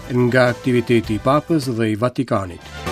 Nga aktiviteti i Papës dhe i Vatikanit.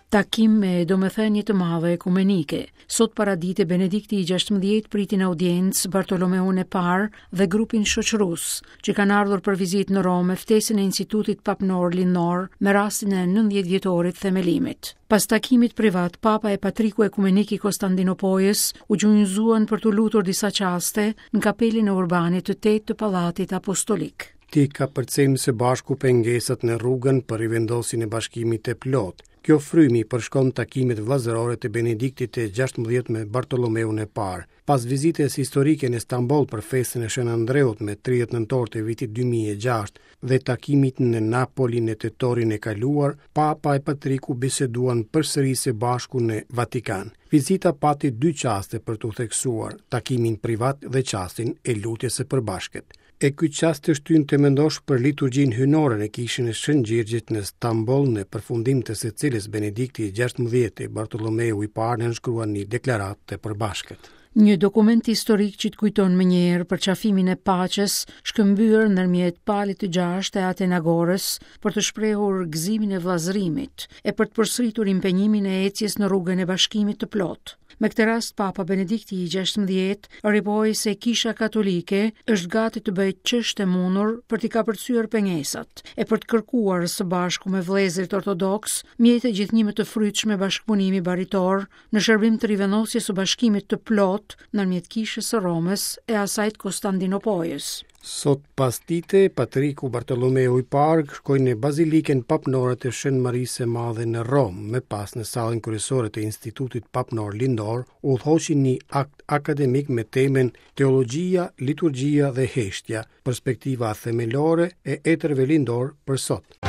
Takim me domethënie të madhe ekumenike. Sot paradite Benedikti i 16 priti në audiencë Bartolomeun e Parë dhe grupin shoqërues, që kanë ardhur për vizitë në Romë me ftesën e Institutit Papnor Lindor me rastin e 90 vjetorit të themelimit. Pas takimit privat, Papa e Patriku Ekumenik i Kostandinopojës u gjunjëzuan për t'u lutur disa çaste në kapelën e Urbanit të Tetë të Pallatit Apostolik. T'i kapërcejmë së bashku pengesat në rrugën për rivendosjen e bashkimit të plotë. Kjo frymë i përshkon takimet vëllazërore të Benediktit të 16 me Bartolomeun e Parë. Pas vizitës historike në Stamboll për festën e Shën Andreut me 30 nëntor të vitit 2006 dhe takimit në Napoli në tetorin e kaluar, Papa e Patriku biseduan përsëri së bashku në Vatikan. Vizita pati dy çaste për t'u theksuar, takimin privat dhe çastin e lutjes së përbashkët. E ky çast të shtyn të mendosh për liturgjinë hyjnore në kishën e Shën Gjergjit në Stamboll, në përfundim të së cilës Benedikti i 16 e Bartolomeu i Parë nënshkruan një deklaratë të përbashkët. Një dokument historik që të kujton menjëherë përqafimin e paqes shkëmbyer ndërmjet Palit të Gjashtë e Atenagorës për të shprehur gëzimin e vëllazërimit e për të përsëritur impenjimin e ecjes në rrugën e bashkimit të plotë. Me këtë rast Papa Benedikti i 16 ripohoi se Kisha Katolike është gati të bëjë ç'është e mundur për t'i kapërcyer pengesat e për të kërkuar së bashku me vëllezërit ortodoksë mjete gjithnjë më të frytshme bashkëpunimi baritor në shërbim të rivendosjes së bashkimit të plotë ndërmjet Kishës së Romës e asaj të Kostandinopojës. Sot pasdite, Patriku Bartolomeu i Parë shkoi në Bazilikën Papnore të Shën Marisë së Madhe në Romë, më pas në sallën kryesore të Institutit Papnor Lindor, udhëhoqi një akt akademik me temën Teologjia, Liturgjia dhe Heshtja, perspektiva themelore e etërve lindorë për sot.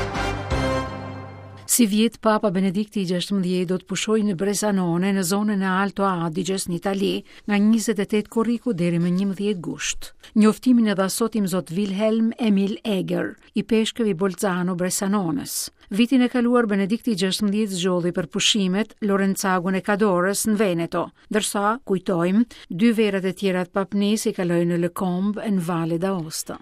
Sivjet Papa Benedikti i 16 do të pushojë në Bressanone në zonën e Alto Adiges në Itali nga 28 korriku deri më 11 gusht. Njoftimin e dha sot imzot Wilhelm Emil Eger, ipeshkëv i Bolzano Bressanones. Vitin e kaluar Benedikti i 16 zgjodhi për pushimet Lorenzagon e Cadorës në Veneto, ndërsa, kujtojmë, dy verat e tjera të papnisë i kaloi në Les Combes e në Valle d'Aosta.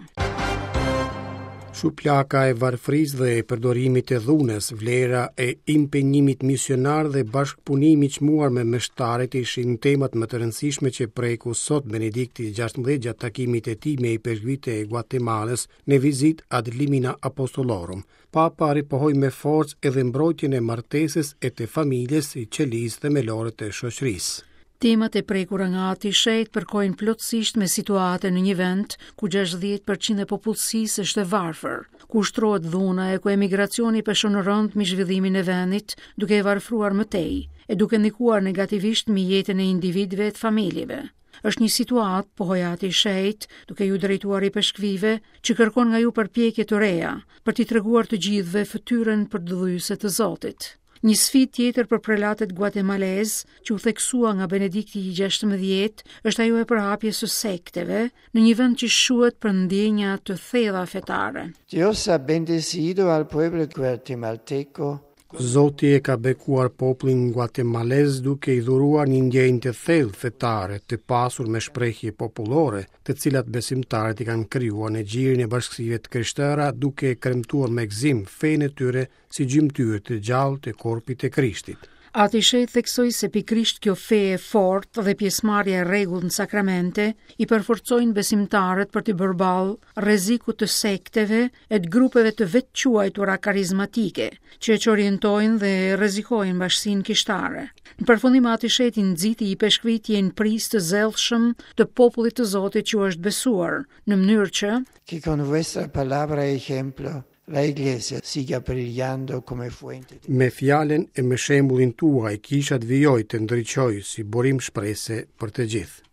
Shuplaka e varfërisë dhe e përdorimit të dhunës, vlera e impenjimit misionar dhe bashkëpunimi i çmuar me meshtarët ishin temat më të rëndësishme që preku sot Benedikti XVI gjatë takimit të tij me ipeshkvijtë e Guatemalës në vizitë ad limina apostolorum. Papa ripohoi me forcë edhe mbrojtjen e martesës e të familjes si qelizë themelore të shoqërisë. Temat e prekura nga Ati i Shenjtë përkojnë plotësisht me situatën në një vend ku 60% e popullsisë është e varfër, ku ushtrohet dhuna e ku emigracioni peshon rëndë mbi zhvillimin e vendit, duke e varfëruar më tej e duke ndikuar negativisht mbi jetën e individëve e të familjeve. Është një situatë, pohoi Ati i Shenjtë, duke iu drejtuar ipeshkvijve, që kërkon nga ju përpjekje të reja, për t'i treguar të gjithëve fytyrën përdëdhyese të Zotit. Një sfidë tjetër për prelatët guatemalezë, që u theksua nga Benedikti i 16, është ajo e përhapjes së sekteve në një vend që shquhet për ndjenja të thella fetare. Dios ha bendecido al pueblo guatemalteco Zoti e ka bekuar popullin guatemalez duke i dhuruar një ndjenjë të thellë fetare, të pasur me shprehje popullore, të cilat besimtarët i kanë krijuar në gjirin e bashkësive të krishtera duke e kremtuar me gëzim fenë e tyre si gjymtyrë të gjallë të korpit të Krishtit. Ati i Shenjtë theksoi se pikërisht kjo fe e fortë dhe pjesëmarrja e rregullt në sakramente i përforcojnë besimtarët për t'i bërë ballë rrezikut të sekteve e të grupeve të vetëquajtura karizmatike, që e çorientojnë dhe rrezikojnë bashkësinë kishtare. Në përfundim Ati i Shenjtë i nxiti ipeshkvijtë të jenë prijës të zellshëm të popullit të Zotit që u është besuar, në mënyrë që Que con vuestra palabra y ejemplo La Iglesia siga brillando come fuente di... Me fjalën e me shembullin tuaj, kisha të vijojë të ndriçojë si burim shprese për të gjithë.